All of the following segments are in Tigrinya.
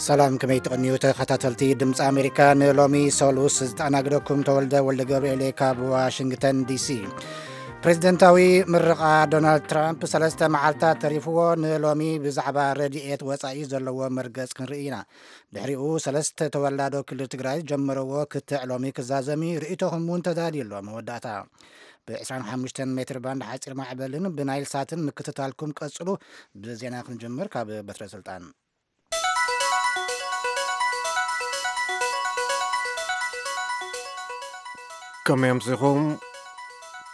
ሰላም፣ ከመይ ትቕንዩ ተኸታተልቲ ድምፂ ኣሜሪካ? ንሎሚ ሰሉስ ዝተኣናግደኩም ተወልደ ወልደ ገብርኤል ካብ ዋሽንግተን ዲሲ። ፕሬዚደንታዊ ምርቓ ዶናልድ ትራምፕ ሰለስተ መዓልታት ተሪፍዎ። ንሎሚ ብዛዕባ ረድኤት ወፃኢ ዘለዎ መርገፅ ክንርኢ ኢና። ድሕሪኡ ሰለስተ ተወላዶ ክልል ትግራይ ጀመረዎ ክትዕ ሎሚ ክዛዘሚ ርእይቶኹም እውን ተዳልዩ ኣሎ። መወዳእታ ብ25 ሜትር ባንድ ሓፂር ማዕበልን ብናይል ሳትን ምክትታልኩም ቀፅሉ። ብዜና ክንጀምር ካብ በትረ ስልጣን። ከመይ ኣምሲኹም?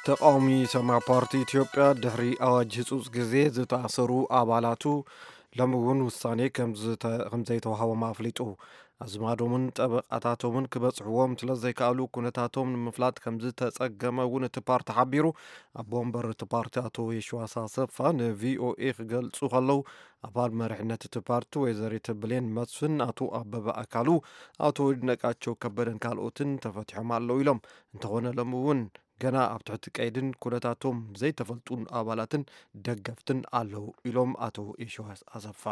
ተቃዋሚ ሰማያዊ ፓርቲ ኢትዮጵያ ድሕሪ ኣዋጅ ህጹጽ ግዜ ዝተኣሰሩ ኣባላቱ ሎሚ እውን ውሳኔ ከም ዝተ-፣ ከም ዘይተዋህቦም ኣፍሊጡ። ኣዝማዶምን ጠበቃታቶምን ክበጽሕዎም ስለ ዘይከኣሉ ኩነታቶም ንምፍላጥ ከም ዝተጸገመ እውን እቲ ፓርቲ ሓቢሩ። ኣቦ ወንበር እቲ ፓርቲ ኣቶ የሽዋስ ኣሰፋ ንቪኦኤ ክገልጹ ከለዉ፣ ኣባል መሪሕነት እቲ ፓርቲ ወይዘሪት ብሌን መስፍን፣ ኣቶ ኣበበ ኣካሉ፣ ኣቶ ይድነቃቸው ከበደን ካልኦትን ተፈቲሖም ኣለዉ ኢሎም። እንተኾነ ሎም እውን ገና ኣብ ትሕቲ ቀይድን ኩነታቶም ዘይተፈልጡን ኣባላትን ደገፍትን ኣለዉ ኢሎም ኣቶ የሽዋስ ኣሰፋ።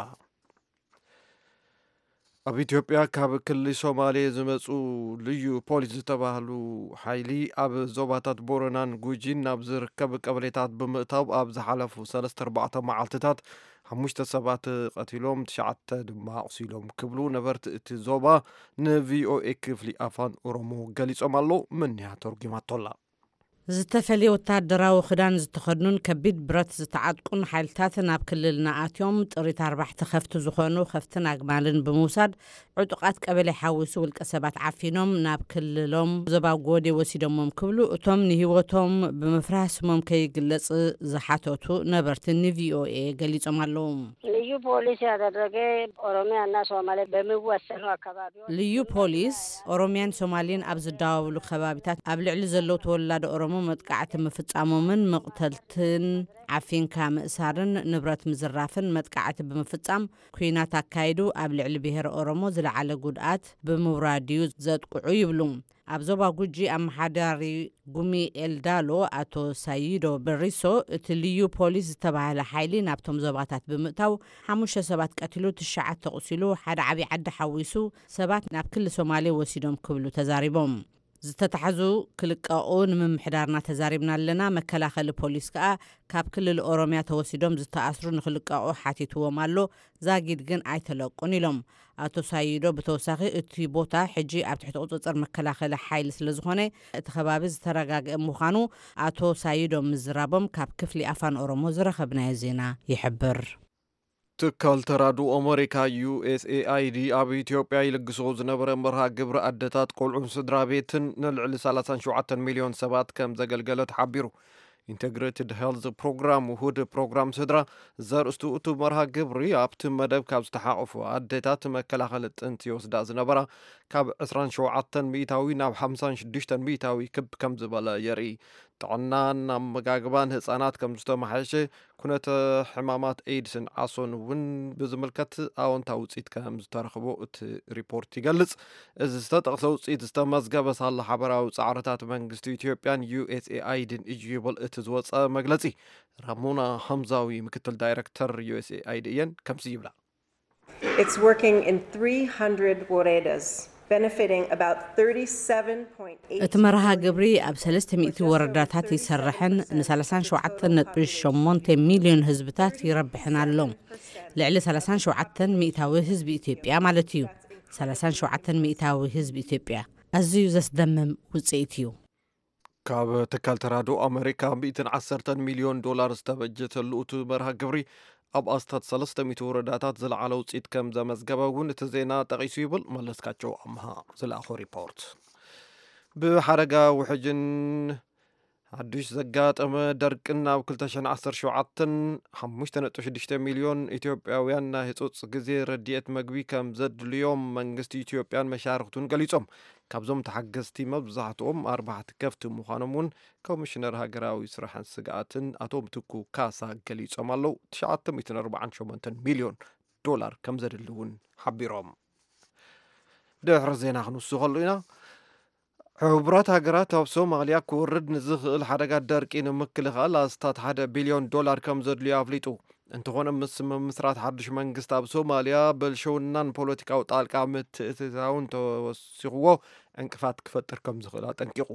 ኣብ ኢትዮጵያ ካብ ክልል ሶማሌ ዝመጹ ልዩ ፖሊስ ዝተባህሉ ሓይሊ ኣብ ዞባታት ቦረናን ጉጂን ናብ ዝርከብ ቀበሌታት ብምእታው ኣብ ዝሓለፉ ሰለስተ ኣርባዕተ መዓልትታት ሓሙሽተ ሰባት ቀቲሎም ትሽዓተ ድማ ኣቑሲሎም ክብሉ ነበርቲ እቲ ዞባ ንቪኦኤ ክፍሊ ኣፋን ኦሮሞ ገሊጾም ኣለዉ። ምንያ ተርጉማቶላ። ዝተፈለየ ወታደራዊ ክዳን ዝተኸድኑን ከቢድ ብረት ዝተዓጥቁን ሓይልታት ናብ ክልልና ኣትዮም ጥሪት ኣርባዕተ ከፍቲ ዝኾኑ ከፍትን ኣግማልን ብምውሳድ ዕጡቓት ቀበሌ ሓዊሱ ውልቀ ሰባት ዓፊኖም ናብ ክልሎም ዞባ ጎዴ ወሲዶሞም ክብሉ እቶም ንህይወቶም ብምፍራህ ስሞም ከይግለጽ ዝሓተቱ ነበርቲ ንቪኦኤ ገሊጾም ኣለዉ። ልዩ ፖሊስ ያደረገ ኦሮሚያና ሶማሌ በሚዋሰኑ አካባቢዎች ልዩ ፖሊስ ኦሮሚያን ሶማሌን ኣብ ዝዳወብሉ ከባቢታት ኣብ ልዕሊ ዘለዉ ተወላዶ ኦሮሞ መጥቃዕቲ ምፍጻሞምን መቕተልትን ዓፊንካ ምእሳርን ንብረት ምዝራፍን መጥቃዕቲ ብምፍጻም ኲናት ኣካይዱ ኣብ ልዕሊ ብሄረ ኦሮሞ ዝለዓለ ጉድኣት ብምውራድ እዩ ዘጥቅዑ ይብሉ። ኣብ ዞባ ጉጂ ኣመሓዳሪ ጉሚ ኤልዳሎ ኣቶ ሳይዶ በሪሶ፣ እቲ ልዩ ፖሊስ ዝተባህለ ሓይሊ ናብቶም ዞባታት ብምእታው ሓሙሽተ ሰባት ቀቲሉ፣ ትሽዓተ ኣቑሲሉ፣ ሓደ ዓብዪ ዓዲ ሓዊሱ ሰባት ናብ ክሊ ሶማሌ ወሲዶም ክብሉ ተዛሪቦም። ዝተታሕዙ ክልቀቑ ንምምሕዳርና ተዛሪብና ኣለና። መከላኸሊ ፖሊስ ከኣ ካብ ክልል ኦሮሚያ ተወሲዶም ዝተኣስሩ ንክልቀቑ ሓቲትዎም ኣሎ። ዛጊድ ግን ኣይተለቁን ኢሎም። ኣቶ ሳይዶ ብተወሳኺ እቲ ቦታ ሕጂ ኣብ ትሕቲ ቁጽጽር መከላኸሊ ሓይሊ ስለ ዝኾነ እቲ ከባቢ ዝተረጋግአ ምዃኑ ኣቶ ሳይዶ ምዝራቦም ካብ ክፍሊ ኣፋን ኦሮሞ ዝረኸብናዮ ዜና ይሕብር። ትካል ተራድኦ ኣመሪካ ዩኤስኤኣይዲ ኣብ ኢትዮጵያ ይልግሶ ዝነበረ መርሃ ግብሪ ኣደታት ቆልዑን ስድራ ቤትን ንልዕሊ ሰላሳን ሸውዓተን ሚልዮን ሰባት ከም ዘገልገለ ተሓቢሩ። ኢንተግሬትድ ሄልዝ ፕሮግራም ውሁድ ፕሮግራም ስድራ ዘርእስቱ እቲ መርሃ ግብሪ ኣብቲ መደብ ካብ ዝተሓቐፉ ኣደታት መከላኸሊ ጥንቲ ይወስዳ ዝነበራ ካብ ዕስራን ሸውዓተን ሚእታዊ ናብ ሓምሳን ሽዱሽተን ሚእታዊ ክብ ከም ዝበለ የርኢ። ጥዕናን ኣመጋግባን ህጻናት ከም ዝተመሓየሸ፣ ኩነተ ሕማማት ኤድስን ዓሶን እውን ብዝምልከት ኣወንታዊ ውጽኢት ከም ዝተረኽቦ እቲ ሪፖርት ይገልጽ። እዚ ዝተጠቕሰ ውጽኢት ዝተመዝገበ ሳላ ሓበራዊ ጻዕርታት መንግስቲ ኢትዮጵያን ዩኤስኤኣይድን እዩ ይብል እቲ ዝወጸ መግለጺ። ራሞና ሃምዛዊ ምክትል ዳይረክተር ዩኤስኤኣይዲ እየን ከምዚ ይብላ። It's working in three hundred woredas, benefiting about thirty-seven point eight እቲ መርሃ ግብሪ ኣብ ሰለስተ ሚእቲ ወረዳታት ይሰርሕን ን ሰላሳን ሸውዓተን ነጥቢ ሸሞንተ ሚልዮን ህዝብታት ይረብሕን ኣሎ። ልዕሊ ሰላሳን ሸውዓተን ሚእታዊ ህዝቢ ኢትዮጵያ ማለት እዩ። ሰላሳን ሸውዓተን ሚእታዊ ህዝቢ ኢትዮጵያ። ኣዝዩ ዘስደምም ውጽኢት እዩ። ካብ ትካል ተራድኦ ኣመሪካ ሚእትን ዓሰርተን ሚልዮን ዶላር ዝተበጀተሉ እቲ መርሃ ግብሪ ኣብ ኣስታት ሰለስተ ሚእቲ ወረዳታት ዝለዓለ ውፅኢት ከም ዘመዝገበ እውን እቲ ዜና ጠቒሱ ይብል መለስካቸው ኣምሃ ዝለኣኾ ሪፖርት። ብሓደጋ ውሕጅን ሓዱሽ ዘጋጠመ ደርቅን ኣብ ክልተ ሽሕን ዓሰርተ ሸውዓተን ሓሙሽተ ነጥቢ ሽዱሽተ ሚልዮን ኢትዮጵያውያን ናይ ህፁፅ ግዜ ረድኤት መግቢ ከም ዘድልዮም መንግስቲ ኢትዮጵያን መሻርክቱን ገሊፆም። ካብዞም ተሓገዝቲ መብዛሕትኦም ኣርባሕቲ ከፍቲ ምዃኖም እውን ኮሚሽነር ሃገራዊ ስራሕን ስግኣትን ኣቶ ምትኩ ካሳ ገሊጾም ኣለዉ። ትሽዓተ ሚእትን ኣርባዓን ሸሞንተን ሚልዮን ዶላር ከም ዘድሊ እውን ሓቢሮም። ድሕሪ ዜና ክንውስኸሉ ኢና። ሕቡራት ሃገራት ኣብ ሶማልያ ክወርድ ንዝኽእል ሓደጋ ደርቂ ንምክልኻል ኣስታት ሓደ ቢልዮን ዶላር ከም ዘድልዮ ኣፍሊጡ። እንተኾነ፣ ምስ ምምስራት ሓድሽ መንግስቲ ኣብ ሶማልያ፣ ብልሽውናን ፖለቲካዊ ጣልቃ ምትእትታውን ተወሲኽዎ ዕንቅፋት ክፈጥር ከም ዝኽእል ኣጠንቂቑ።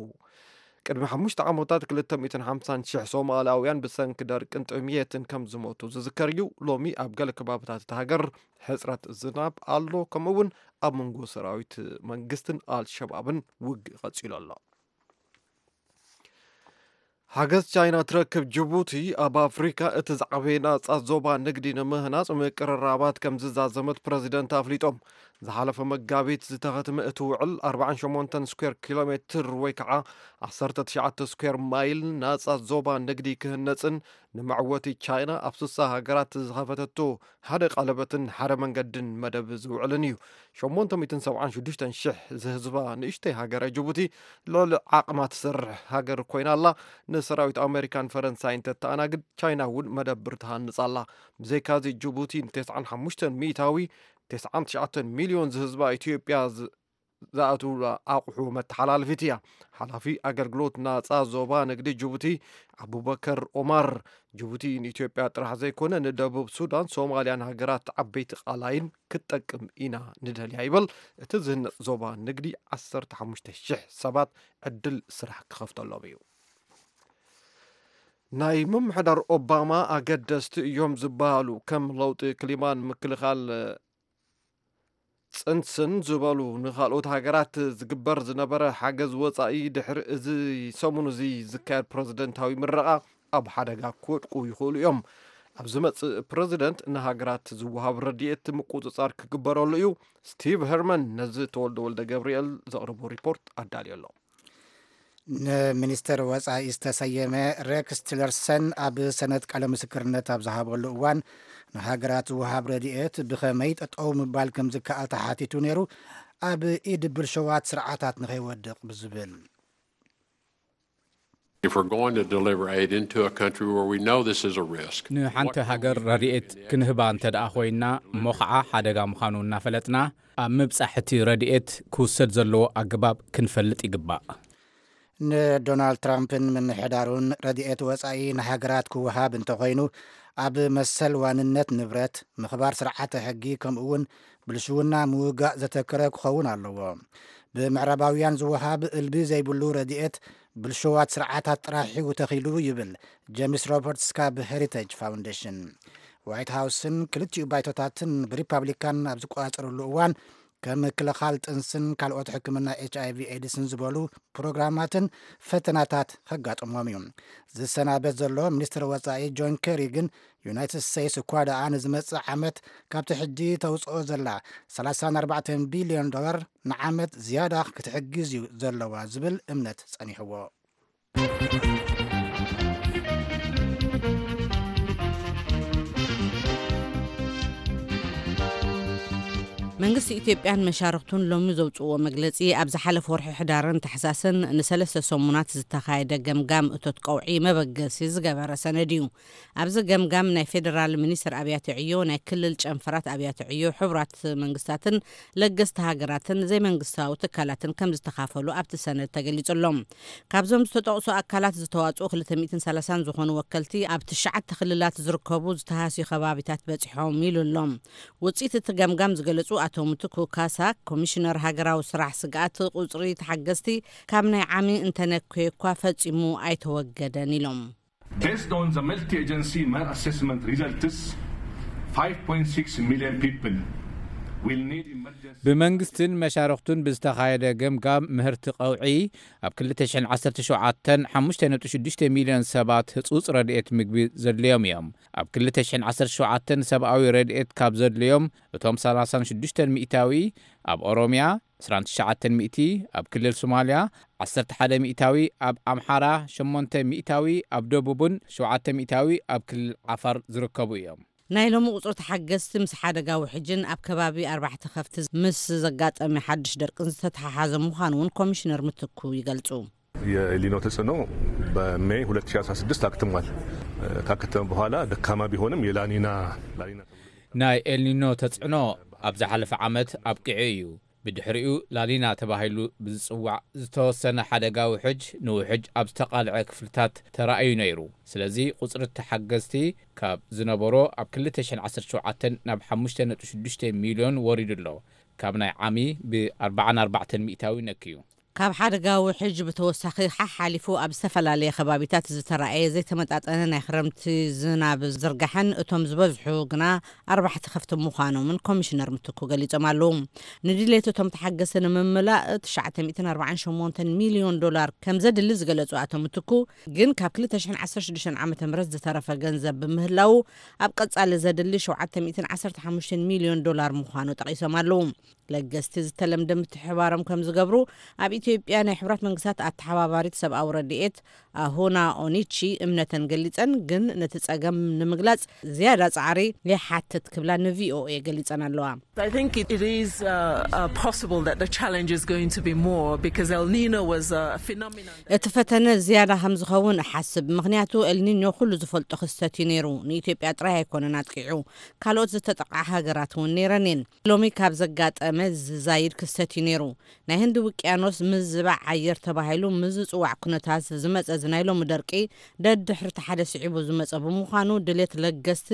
ቅድሚ ሓሙሽተ ዓመታት ክልተ ሚእትን ሓምሳን ሽሕ ሶማላውያን ብሰንኪ ደርቅን ጥምየትን ከም ዝሞቱ ዝዝከር እዩ። ሎሚ ኣብ ገለ ከባብታት እታ ሃገር ሕጽረት ዝናብ ኣሎ፣ ከምኡ እውን ኣብ መንጎ ሰራዊት መንግስትን ኣልሸባብን ውግእ ቀጺሉ ኣሎ። ሓገዝ ቻይና ትረክብ። ጅቡቲ ኣብ ኣፍሪካ እቲ ዝዓበየ ናጻ ዞባ ንግዲ ንምህናጽ ምቅርራባት ከም ዝዛዘመት ፕረዚደንት ኣፍሊጦም። ዝሓለፈ መጋቢት ዝተኸትመ እቲ ውዕል ኣርባዓን ሸሞንተን ስኩዌር ኪሎ ሜትር ወይ ከዓ ዓሰርተ ትሽዓተ ስኩዌር ማይል ናጻ ዞባ ንግዲ ክህነጽን ንመዕወቲ ቻይና ኣብ ስሳ ሃገራት ዝኸፈተቶ ሓደ ቀለበትን ሓደ መንገድን መደብ ዝውዕልን እዩ። ሸሞንተ ሚእትን ሰብዓን ሽዱሽተን ሽሕ ዝህዝባ ንእሽተይ ሃገረ ጅቡቲ ልዕሊ ዓቕማ ትሰርሕ ሃገር ኮይና ኣላ። ንሰራዊት ኣሜሪካን ፈረንሳይን ተተኣናግድ፣ ቻይና እውን መደብር ትሃንጽ ኣላ። ብዘይካዚ ጅቡቲ ንተስዓን ሓሙሽተን ሚእታዊ፣ ተስዓን ትሽዓተን ሚልዮን ዝህዝባ ኢትዮጵያ ዝ-፣ ዝኣትውላ ኣቑሑ መተሓላልፊት እያ። ሓላፊ ኣገልግሎት ናጻ ዞባ ንግዲ ጅቡቲ ኣቡበከር ኦማር፣ ጅቡቲ ንኢትዮጵያ ጥራሕ ዘይኮነ ንደቡብ ሱዳን፣ ሶማልያን ሃገራት ዓበይቲ ቃላይን ክትጠቅም ኢና ንደልያ ይበል። እቲ ዝህነጽ ዞባ ንግዲ ዓሰርተ ሓሙሽተ ሽሕ ሰባት ዕድል ስራሕ ክኸፍተሎም እዩ። ናይ ምምሕዳር ኦባማ ኣገደስቲ እዮም ዝበሃሉ ከም ለውጢ ክሊማን ምክልኻል ጽንስን ዝበሉ ንኻልኦት ሃገራት ዝግበር ዝነበረ ሓገዝ ወጻኢ ድሕሪ እዚ ሰሙን እዚ ዝካየድ ፕረዚደንታዊ ምረቓ ኣብ ሓደጋ ክወድቁ ይኽእሉ እዮም። ኣብ ዝመጽእ ፕረዚደንት ንሃገራት ዝወሃብ ረድኤት ምቁጽጻር ክግበረሉ እዩ። ስቲቭ ሄርመን ነዚ ተወልደ ወልደ ገብርኤል ዘቕርቦ ሪፖርት ኣዳልዮ ኣሎ። ንሚኒስትር ወጻኢ ዝተሰየመ ሬክስ ቲለርሰን ኣብ ሰነድ ቃለ ምስክርነት ኣብ ዝሃበሉ እዋን፣ ንሃገራት ዝወሃብ ረድኤት ብኸመይ ጠጠው ምባል ከም ዝከኣል ተሓቲቱ ነይሩ፣ ኣብ ኢድ ብልሸዋት ስርዓታት ንኸይወድቕ ብዝብል። If we're going to deliver aid into a country where we know this is a risk, ንሓንቲ ሃገር ረድኤት ክንህባ እንተ ደኣ ኮይንና፣ እሞ ኸዓ ሓደጋ ምዃኑ እናፈለጥና፣ ኣብ ምብጻሕ እቲ ረድኤት ክውሰድ ዘለዎ ኣገባብ ክንፈልጥ ይግባእ። ንዶናልድ ትራምፕን ምምሕዳሩን ረድኤት ወጻኢ ንሃገራት ክወሃብ እንተኾይኑ፣ ኣብ መሰል ዋንነት ንብረት፣ ምኽባር ስርዓተ ሕጊ፣ ከምኡ እውን ብልሽውና ምውጋእ ዘተከረ ክኸውን ኣለዎ። ብምዕራባውያን ዝወሃብ እልቢ ዘይብሉ ረድኤት ብልሽዋት ስርዓታት ጥራሕ እዩ ተኺሉ ይብል ጀምስ ሮበርትስ ካብ ሄሪቴጅ ፋውንዴሽን። ዋይት ሃውስን ክልቲኡ ባይቶታትን ብሪፓብሊካን ኣብ ዝቆጻጸርሉ እዋን፣ ከም ምክልኻል ጥንስን ካልኦት ሕክምና ኤች ኣይቪ ኤድስን ዝበሉ ፕሮግራማትን ፈተናታት ከጋጥሞም እዩ። ዝሰናበት ዘሎ ሚኒስትር ወጻኢ ጆን ኬሪ ግን፣ ዩናይትድ ስቴትስ እኳ ደኣ ንዝመጽእ ዓመት ካብቲ ሕጂ ተውጽኦ ዘላ ሰላሳን ኣርባዕተን ቢልዮን ዶላር ንዓመት ዝያዳ ክትሕግዝ እዩ ዘለዋ ዝብል እምነት ጸኒሕዎ። መንግስቲ ኢትዮጵያን መሻርክቱን ሎሚ ዘውፅእዎ መግለፂ፣ ኣብ ዝሓለፈ ወርሒ ሕዳርን ታሕሳስን ንሰለስተ ሰሙናት ዝተኻየደ ገምጋም እቶት ቀውዒ መበገሲ ዝገበረ ሰነድ እዩ። ኣብዚ ገምጋም ናይ ፌዴራል ሚኒስትር ኣብያተ ዕዮ፣ ናይ ክልል ጨንፈራት ኣብያተ ዕዮ፣ ሕቡራት መንግስታትን ለገስቲ ሃገራትን ዘይመንግስታዊ ትካላትን ከም ዝተኻፈሉ ኣብቲ ሰነድ ተገሊጹ ኣሎ። ካብዞም ዝተጠቕሱ ኣካላት ዝተዋጽኡ ክልተ ሚእትን ሰላሳን ዝኾኑ ወከልቲ ኣብ ትሽዓተ ክልላት ዝርከቡ ዝተሃስዩ ከባቢታት በጺሖም ኢሉ ኣሎ። ውጽኢት እቲ ገምጋም ዝገለጹ ኣቶ ምትኩ ካሳ፣ ኮሚሽነር ሃገራዊ ስራሕ ስግኣት ቁጽሪ ተሓገዝቲ ካብ ናይ ዓሚ እንተነኮየ እኳ ፈጺሙ ኣይተወገደን ኢሎም። Based on the multi-agency mere assessment results, five point six million people will need emergency. ብመንግስትን መሻርኽቱን ብዝተኻየደ ገምጋም ምህርቲ ቀውዒ ኣብ ክልተ ሽሕን ዓሰርተ ሸውዓተን ሓሙሽተ ነጥቢ ሽዱሽተ ሚልዮን ሰባት ህጹጽ ረድኤት ምግቢ ዘድልዮም እዮም። ኣብ ክልተ ሽሕን ዓሰርተ ሸውዓተን ሰብኣዊ ረድኤት ካብ ዘድልዮም፣ እቶም ሰላሳን ሽዱሽተን ሚእታዊ ኣብ ኦሮምያ፣ ዕስራን ትሽዓተን ሚእቲ ኣብ ክልል ሶማልያ፣ ዓሰርተ ሓደ ሚእታዊ ኣብ ኣምሓራ፣ ሸሞንተ ሚእታዊ ኣብ ደቡብን ሸውዓተ ሚእታዊ ኣብ ክልል ዓፋር ዝርከቡ እዮም። ናይ ሎሚ ቁጽሪ ተሓገዝቲ ምስ ሓደጋ ውሕጅን ኣብ ከባቢ ኣርባዕተ ከፍቲ ምስ ዘጋጠመ ሓድሽ ደርቅን ዝተተሓሓዘ ምዃኑ እውን ኮሚሽነር ምትኩ ይገልጹ። የኤልኒኖ ተጽዕኖ በሜይ ሁለት ሺህ አስራ ስድስት አክትሟል። ካከተመ በኋላ ደካማ ቢሆንም የላኒና ላኒና ናይ ኤልኒኖ ተጽዕኖ ኣብ ዝሓለፈ ዓመት ኣብቂዑ እዩ። ብድሕሪኡ ላኒና ተባሂሉ ብዝጽዋዕ ዝተወሰነ ሓደጋ ውሕጅ ንውሕጅ ኣብ ዝተቓልዐ ክፍልታት ተራእዩ ነይሩ። ስለዚ ቁጽሪ ተሓገዝቲ ካብ ዝነበሮ ኣብ ክልተ ሽሕን ዓሰርተ ሸውዓተን ናብ ሓሙሽተ ነጥቢ ሽዱሽተ ሚልዮን ወሪዱ ኣሎ። ካብ ናይ ዓሚ ብ ኣርባዓን ኣርባዕተን ሚእታዊ ነክዩ። ካብ ሓደጋ ውሕጅ ብተወሳኺ ሓሓሊፉ ኣብ ዝተፈላለየ ከባቢታት ዝተራእየ ዘይተመጣጠነ ናይ ክረምቲ ዝናብ ዝርጋሐን እቶም ዝበዝሑ ግና ኣርባሕቲ ከፍቲ ምዃኖምን ኮሚሽነር ምትኩ ገሊጾም ኣለዉ። ንድሌት እቶም ተሓገዝቲ ንምምላእ ትሽዓተ ሚእትን ኣርባዓን ሸሞንተን ሚልዮን ዶላር ከም ዘድሊ ዝገለጹ ኣቶ ምትኩ፣ ግን ካብ ክልተ ሽሕን ዓሰርተ ሽዱሽተን ዓመተ ምህረት ዝተረፈ ገንዘብ ብምህላዉ ኣብ ቀጻሊ ዘድሊ ሸውዓተ ሚእትን ዓሰርተ ሓሙሽተን ሚልዮን ዶላር ምዃኑ ጠቒሶም ኣለዉ። ለገስቲ ዝተለምደ ምትሕባሮም ከም ዝገብሩ ኣብ ኢትዮጵያ ናይ ሕቡራት መንግስታት ኣተሓባባሪት ሰብኣዊ ረድኤት ኣሁና ኦኒቺ እምነተን ገሊጸን፣ ግን ነቲ ጸገም ንምግላጽ ዝያዳ ጻዕሪ ይሓትት ክብላ ንቪኦኤ ገሊጸን ኣለዋ። I think it, it is uh, uh, possible that the challenge is going to be more because El Nino was a phenomenon. እቲ ፈተነ ዝያዳ ከም ዝኸውን እሓስብ፣ ምኽንያቱ ኤልኒኞ ኩሉ ዝፈልጦ ክስተት እዩ ነይሩ። ንኢትዮጵያ ጥራይ ኣይኮነን ኣጥቂዑ፣ ካልኦት ዝተጠቕዓ ሃገራት እውን ነይረን እየን። ሎሚ ካብ ዘጋጠመ ዝዛይድ ክስተት እዩ ነይሩ። ናይ ህንዲ ውቅያኖስ ምዝባዕ ኣየር ተባሂሉ ምስ ዝጽዋዕ ኩነታት ዝመጸ እዚ ናይ ሎሚ ደርቂ ደድሕሪ እቲ ሓደ ስዒቡ ዝመጸ ብምዃኑ ድሌት ለገስቲ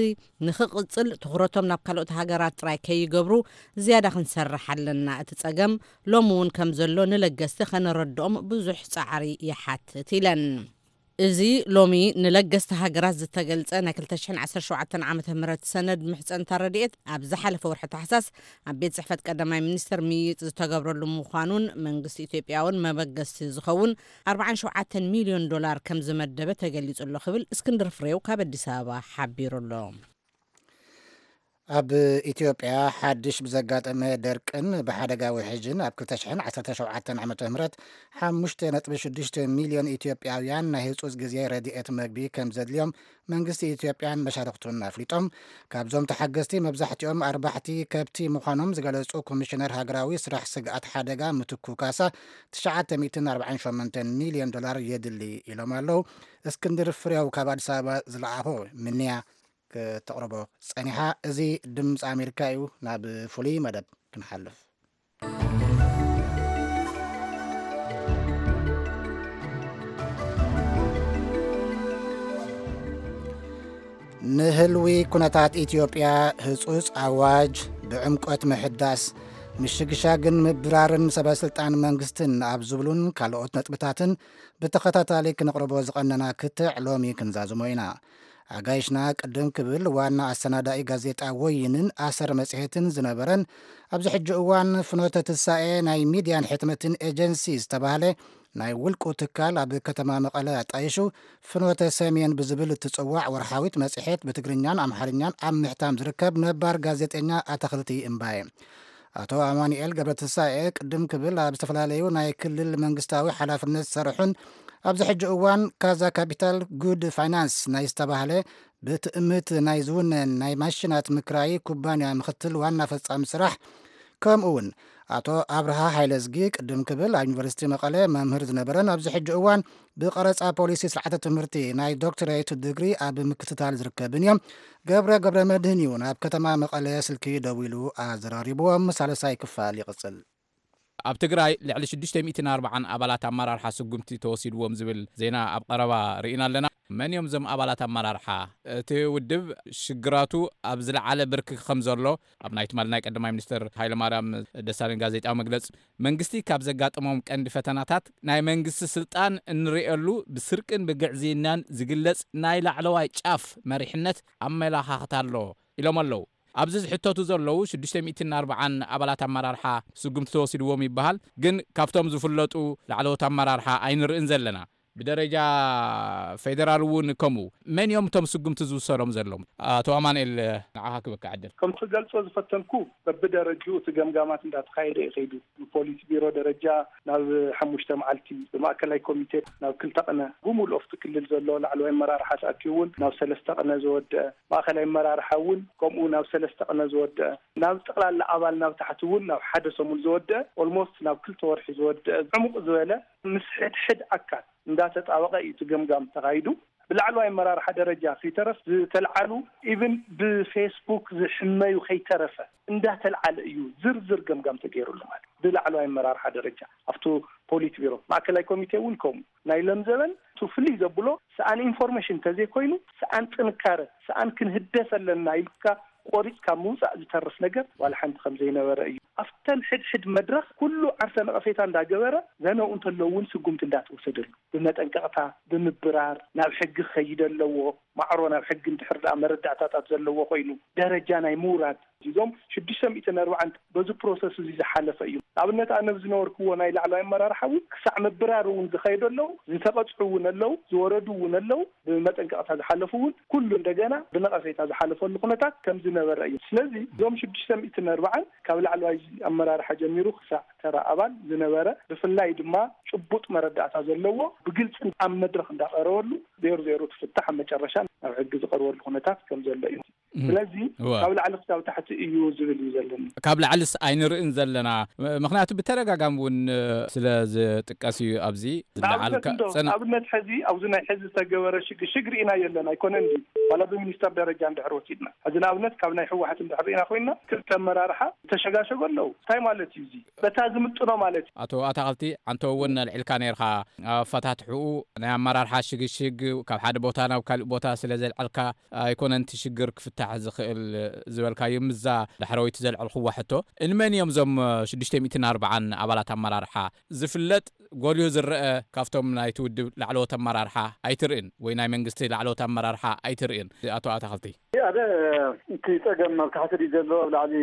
ንኽቕጽል ትኹረቶም ናብ ካልኦት ሃገራት ጥራይ ከይገብሩ ዝያዳ ክንሰርሕ ኣለና። እቲ ጸገም ሎሚ እውን ከም ዘሎ ንለገስቲ ከነረድኦም ብዙሕ ጻዕሪ ይሓትት ኢለን። እዚ ሎሚ ንለገስቲ ሃገራት ዝተገልጸ ናይ ክልተ ሽሕን ዓሰርተ ሸውዓተን ዓመተ ምህረት ሰነድ ምሕጸንታ ረድኤት ኣብ ዝሓለፈ ወርሒ ታሕሳስ ኣብ ቤት ጽሕፈት ቀዳማይ ሚኒስተር ምይይጥ ዝተገብረሉ ምዃኑን መንግስቲ ኢትዮጵያ እውን መበገስቲ ዝኸውን ኣርባዓን ሸውዓተን ሚልዮን ዶላር ከም ዝመደበ ተገሊጹ ኣሎ ክብል እስክንድር ፍሬው ካብ ኣዲስ ኣበባ ሓቢሩ ኣሎ። ኣብ ኢትዮጵያ ሓድሽ ብዘጋጠመ ደርቅን ብሓደጋ ውሕጅን ኣብ ክልተ ሽሕን ዓሰርተ ሸውዓተን ዓመተ ምህረት ሓሙሽተ ነጥቢ ሽዱሽተ ሚልዮን ኢትዮጵያውያን ናይ ህጹጽ ግዜ ረድኤት መግቢ ከም ዘድልዮም መንግስቲ ኢትዮጵያን መሻርኽቱን ኣፍሊጦም። ካብዞም ተሓገዝቲ መብዛሕትኦም ኣርባሕቲ ከብቲ ምዃኖም ዝገለጹ ኮሚሽነር ሃገራዊ ስራሕ ስግኣት ሓደጋ ምትኩ ካሳ፣ ትሽዓተ ሚእትን ኣርባዓን ሸሞንተን ሚልዮን ዶላር የድሊ ኢሎም ኣለዉ። እስክንድር ፍሬው ካብ ኣዲስ ኣበባ ዝለኣኾ ምንያ ክተቕርቦ ጸኒሓ። እዚ ድምፂ ኣሜሪካ እዩ። ናብ ፍሉይ መደብ ክንሓልፍ። ንህልዊ ኩነታት ኢትዮጵያ ህጹጽ ኣዋጅ ብዕምቆት ምሕዳስ፣ ምሽግሻግን ምብራርን ሰበ ስልጣን መንግስትን ኣብ ዝብሉን ካልኦት ነጥብታትን ብተኸታታሊ ክንቕርቦ ዝቐነና ክትዕ ሎሚ ክንዛዝሞ ኢና። ኣጋይሽና ቅድም ክብል ዋና ኣሰናዳኢ ጋዜጣ ወይንን ኣሰር መጽሔትን ዝነበረን ኣብዚ ሕጂ እዋን ፍኖተ ትሳኤ ናይ ሚድያን ሕትመትን ኤጀንሲ ዝተባህለ ናይ ውልቁ ትካል ኣብ ከተማ መቐለ ኣጣይሹ ፍኖተ ሰሜን ብዝብል እትጽዋዕ ወርሓዊት መጽሔት ብትግርኛን ኣምሓርኛን ኣብ ምሕታም ዝርከብ ነባር ጋዜጠኛ ኣተኽልቲ እምባየ። ኣቶ ኣማኑኤል ገብረትንሳኤ ቅድም ክብል ኣብ ዝተፈላለዩ ናይ ክልል መንግስታዊ ሓላፍነት ዝሰርሑን ኣብዚ ሕጂ እዋን ካዛ ካፒታል ጉድ ፋይናንስ ናይ ዝተባህለ ብትእምት ናይ ዝውነን ናይ ማሽናት ምክራይ ኩባንያ ምኽትል ዋና ፈጻሚ ስራሕ፣ ከምኡ እውን ኣቶ ኣብርሃ ሃይለዝጊ ቅድም ክብል ኣብ ዩኒቨርሲቲ መቐለ መምህር ዝነበረን ኣብዚ ሕጂ እዋን ብቐረፃ ፖሊሲ ስርዓተ ትምህርቲ ናይ ዶክትሬት ድግሪ ኣብ ምክትታል ዝርከብን እዮም። ገብረ ገብረ መድህን እዩ ናብ ከተማ መቐለ ስልኪ ደዊሉ ኣዘራሪብዎም። ሳልሳይ ክፋል ይቕጽል። ኣብ ትግራይ ልዕሊ ሽዱሽተ ሚእትን ኣርባዓን ኣባላት ኣመራርሓ ስጉምቲ ተወሲድዎም ዝብል ዜና ኣብ ቀረባ ርኢና ኣለና። መን እዮም እዞም ኣባላት ኣመራርሓ? እቲ ውድብ ሽግራቱ ኣብ ዝለዓለ ብርኪ ከም ዘሎ ኣብ ናይ ትማሊ ናይ ቀዳማይ ሚኒስትር ሃይለማርያም ደሳለኝ ጋዜጣዊ መግለጺ፣ መንግስቲ ካብ ዘጋጠሞም ቀንዲ ፈተናታት ናይ መንግስቲ ስልጣን እንርእየሉ ብስርቅን ብግዕዝይናን ዝግለጽ ናይ ላዕለዋይ ጫፍ መሪሕነት ኣመላኻኽታ ኣሎ ኢሎም ኣለዉ። ኣብዚ ዝሕተቱ ዘለዉ ሽዱሽተ ሚእትን ኣርባዓን ኣባላት ኣመራርሓ ስጉምቲ ተወሲድዎም ይበሃል፣ ግን ካብቶም ዝፍለጡ ላዕለዎት ኣመራርሓ ኣይንርእን ዘለና። ብደረጃ ፌደራል እውን ከምኡ። መን እዮም እቶም ስጉምቲ ዝውሰዶም ዘለዉ? ኣቶ ኣማኑኤል፣ ንዓኻ ክበካ ዕድል። ከም ክገልጾ ዝፈተንኩ፣ በብደረጅኡ እቲ ገምጋማት እንዳተኻየደ እዩ ከይዱ። ብፖሊስ ቢሮ ደረጃ ናብ ሓሙሽተ መዓልቲ፣ ብማእከላይ ኮሚቴ ናብ ክልተ ቅነ፣ ብምሉእ ኣብቲ ክልል ዘሎ ላዕለዋይ ኣመራርሓ ተኣኪቡ እውን ናብ ሰለስተ ቅነ ዝወደአ፣ ማእከላይ ኣመራርሓ እውን ከምኡ ናብ ሰለስተ ቅነ ዝወደአ፣ ናብ ጠቕላላ ኣባል ናብ ታሕቲ እውን ናብ ሓደ ሰሙን ዝወደአ፣ ኦልሞስት ናብ ክልተ ወርሒ ዝወደአ፣ ዕሙቕ ዝበለ ምስ ሕድሕድ ኣካል እንዳተጣበቐ እዩ እቲ ገምጋም ተኻይዱ። ብላዕለዋይ ኣመራርሓ ደረጃ ከይተረፍ ዝተልዓሉ፣ ኢቭን ብፌስቡክ ዝሕመዩ ከይተረፈ እንዳተልዓለ እዩ ዝርዝር ገምጋም ተገይሩሉ። ማለት ብላዕለዋይ ኣመራርሓ ደረጃ ኣብቲ ፖሊት ቢሮ፣ ማእከላይ ኮሚቴ እውን ከምኡ። ናይ ለምዘበን እቲ ፍልይ ዘብሎ ሰኣን ኢንፎርሜሽን እንተዘይኮይኑ፣ ሰኣን ጥንካረ፣ ሰኣን ክንህደስ ኣለና ኢልካ ቆሪፅካ ምውፃእ ዝተርፍ ነገር ዋላ ሓንቲ ከም ዘይነበረ እዩ። ኣብተን ሕድሕድ መድረኽ ኩሉ ዓርሰ ነቐፌታ እንዳገበረ፣ ዘነው እንተለዉ እውን ስጉምቲ እንዳተወሰደሉ፣ ብመጠንቀቕታ፣ ብምብራር፣ ናብ ሕጊ ክኸይድ ኣለዎ። ማዕሮ ናብ ሕጊ እንድሕር ደኣ መረዳእታታት ዘለዎ ኮይኑ፣ ደረጃ ናይ ምውራድ፣ እዞም ሽዱሽተ ሚእትን ኣርባዓን በዚ ፕሮሰስ እዚ ዝሓለፈ እዩ። ንኣብነት፣ ኣነ ብዝነበርኩዎ ናይ ላዕለዋይ ኣመራርሓ እውን ክሳዕ ምብራር እውን ዝኸይዱ ኣለዉ፣ ዝተቐፅዑ እውን ኣለዉ፣ ዝወረዱ እውን ኣለዉ፣ ብመጠንቀቕታ ዝሓለፉ እውን ኩሉ እንደገና ብነቐፌታ ዝሓለፈሉ ኩነታት ከም ዝነበረ እዩ። ስለዚ እዞም ሽዱሽተ ሚእትን ኣርባዓን ካብ ላዕለዋይ ኣመራርሓ ጀሚሩ ክሳዕ ተራ ኣባል ዝነበረ፣ ብፍላይ ድማ ጭቡጥ መረዳእታ ዘለዎ፣ ብግልፂ ኣብ መድረኽ እንዳቐረበሉ፣ ዜሮ ዜሮ ትፍታሕ፣ ኣብ መጨረሻ ናብ ሕጊ ዝቐርበሉ ኩነታት ከም ዘሎ እዩ። እም። ስለዚ እወ። ካብ ላዕሊ ክሳብ ታሕቲ እዩ ዝብል እዩ ዘለኒ። ካብ ላዕልስ ኣይንርእን ዘለና። ም-፣ ምኽንያቱ ብተደጋጋሚ እውን፣ እ፣ ስለ ዝጥቀስ እዩ ኣብዚ ንኣብነት ዝለዓልካ እንዶ፣ ጽን- ንኣብነት ሕዚ ኣብዚ ናይ ሕዚ ዝተገበረ ሽግሽግ ርኢናዮ ኣለና ኣይኮነን ድዩ? ዋላ ብሚኒስተር ደረጃ እንድሕር ወሲድና፣ ሕዚ ንኣብነት ካብ ናይ ህወሓት እንድሕር ርኢና ኮይንና፣ ክልተ ኣመራርሓ ዝተሸጋሸጉ ኣለዉ። እንታይ ማለት እዩ እዚ? በታ ዝምጥኖ ማለት እዩ። ኣቶ ኣታኽልቲ፣ ዓንቶ እውን ኣልዒልካ ነይርካ። ኣፈታትሕኡ ናይ ኣመራርሓ ሽግሽግ፣ ካብ ሓደ ቦታ ናብ ካልእ ቦታ ስለ ዘልዓልካ ኣይኮነን እቲ ሽግር ክፍታሕ ዝኽእል ዝበልካዮ። ምስዛ ዳሕረወይቲ ዘልዐልክዋ ሕቶ፣ እንመን እዮም እዞም ሽዱሽተ ሚእትን ኣርባዓን ኣባላት ኣመራርሓ? ዝፍለጥ ጎልሁ ዝረአ ካብቶም ናይቲ ውድብ ላዕለዎት ኣመራርሓ ኣይትርእን ወይ ናይ መንግስቲ ላዕለዎት ኣመራርሓ ኣይትርእን? ኣቶ ኣታኽልቲ። ኣደ፣ እቲ ጸገም ኣብ ታሕቲ ድዩ ዘሎ ኣብ ላዕሊ?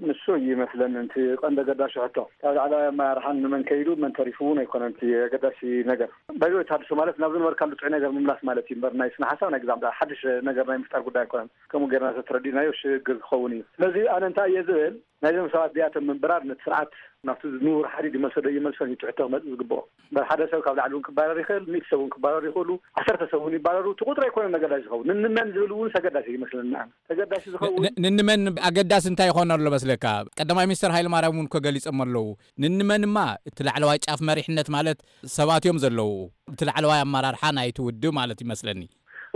ንሱ እዩ ይመስለኒ እቲ ቀንዲ ኣገዳሲ ሕቶ። ካብ ላዕለዋይ ኣመራርሓ ንመን ከይዱ መን ተሪፉ እውን ኣይኮነን እቲ ኣገዳሲ ነገር። ባይዞ ተሃድሶ ማለት ናብ ዝነበርካሉ ጥዑይ ነገር ምምላስ ማለት እዩ እምበር፣ ናይ ስነ ሓሳብ ናይ ግዛም ሓድሽ ነገር ናይ ምፍጣር ጉዳይ ኣይኮነን። ከምኡ ጌርና ተተረዲእናዮ ሽግር ክኸውን እዩ። ስለዚ ኣነ እንታይ እየ ዝብል፣ ናይዞም ሰባት እዚኣቶም ምንብራር ነቲ ስርዓት ናብቲ ንቡር ሓዲድ ይመልሶ ዶ ይመልሶን እዩ ትሕቶ ክመጽእ ዝግብኦ። እምበር ሓደ ሰብ ካብ ላዕሊ እውን ክባረር ይኽእል፣ ሚእቲ ሰብ እውን ክባረሩ ይኽእሉ፣ ዓሰርተ ሰብ እውን ይባረሩ። እቲ ቁጥሪ ኣይኮነን ኣገዳሲ ዝኸውን። ንንመን ዝብል እውን ኣገዳሲ ይመስለኒ ኣነ። ተገዳሲ ዝኸውን ን-፣ ንንመን ኣገዳሲ እንታይ ይኾን ኣሎ መስለካ? ቀዳማይ ሚኒስትር ሃይለማርያም እውን እኮ ገሊጾም ኣለዉ። ንንመንማ እቲ ላዕለዋይ ጫፍ መሪሕነት ማለት ሰባት እዮም ዘለዉ። እቲ ላዕለዋይ ኣመራርሓ ናይቲ ውድብ ማለት ይመስለኒ።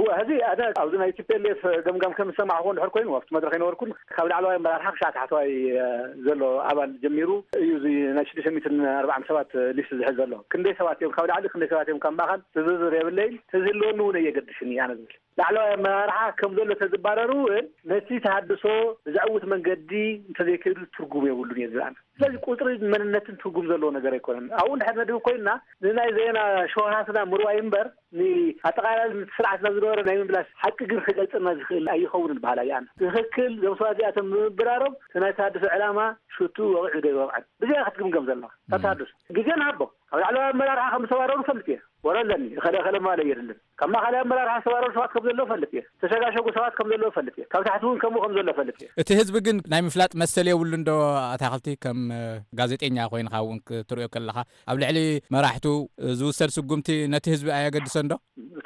እወ፣ ሕዚ ኣነ ኣብዚ ናይ ቲ ፒ ኤል ኤፍ ገምጋም ከም ዝሰማዕኹዎ እንድሕር ኮይኑ፣ ኣብቲ መድረኽ ኣይነበርኩን፣ ካብ ላዕለዋይ ኣመራርሓ ክሳዕ ታሕተዋይ፣ እ፣ ዘሎ ኣባል ጀሚሩ እዩ እዚ ናይ ሽዱሽተ ሚእትን ኣርባዓን ሰባት ሊስት ዝሕዝ ዘሎ። ክንደይ ሰባት እዮም ካብ ላዕሊ፣ ክንደይ ሰባት እዮም ካብ ማእኸል ዝርዝር የብለይን። ተዝህልወኒ እውን ኣየገድስን እዩ ኣነ ዝብል። ላዕለዋይ ኣመራርሓ ከም ዘሎ ተዝባረሩ እውን ነቲ ተሃድሶ ብዘዕውት መንገዲ እንተዘይከይዱ ትርጉም የብሉን እየ ዝብል ኣነ። ስለዚ ቁጽሪ መንነትን ትርጉም ዘለዎ ነገር ኣይኮነን። ኣብኡ እንድሕር ነድህብ ኮይንና ንናይ ዜና ሸውሃትና ምርዋይ እምበር ንኣጠቓላሊ ስርዓትና ዝነበረ ናይ ምምላስ ሓቂ ግን ክገልጽልና ዝኽእል ኣይኸውንን በሃላይ ኣነ። ትኽክል፣ እዞም ሰባት እዚኣቶም ብምብራሮም እቲ ናይ ተሃድሶ ዕላማ ሽቱ ወቒዑ ዶ ይወቕዐን? ብዚኣ ክትግምገም ዘለኻ። ካብ ተሃድሶ ግዜ ንሃቦ። ካብ ላዕለዋይ ኣመራርሓ ከም ዝተባረሩ ፈልጥ እየ። ወረ ኣለኒ፣ እኸለ እኸለ ምባል የድልን። ካብ ማእኸላይ ኣመራርሓ ዝተባረሩ ሰባት ከም ዘለዉ ፈልጥ እየ። ዝተሸጋሸጉ ሰባት ከም ዘለዉ ፈልጥ እየ። ካብ ታሕቲ እውን ከምኡ ከም ዘሎ ፈልጥ እየ። እቲ ህዝቢ ግን ናይ ምፍላጥ መሰል የብሉን ዶ? ኣታኽልቲ፣ ከም፣ እ፣ ጋዜጠኛ ኮይንካ እውን ክትርእዮ ከለኻ፣ ኣብ ልዕሊ መራሕቱ፣ እ፣ ዝውሰድ ስጉምቲ ነቲ ህዝቢ ኣየገድሶን ዶ?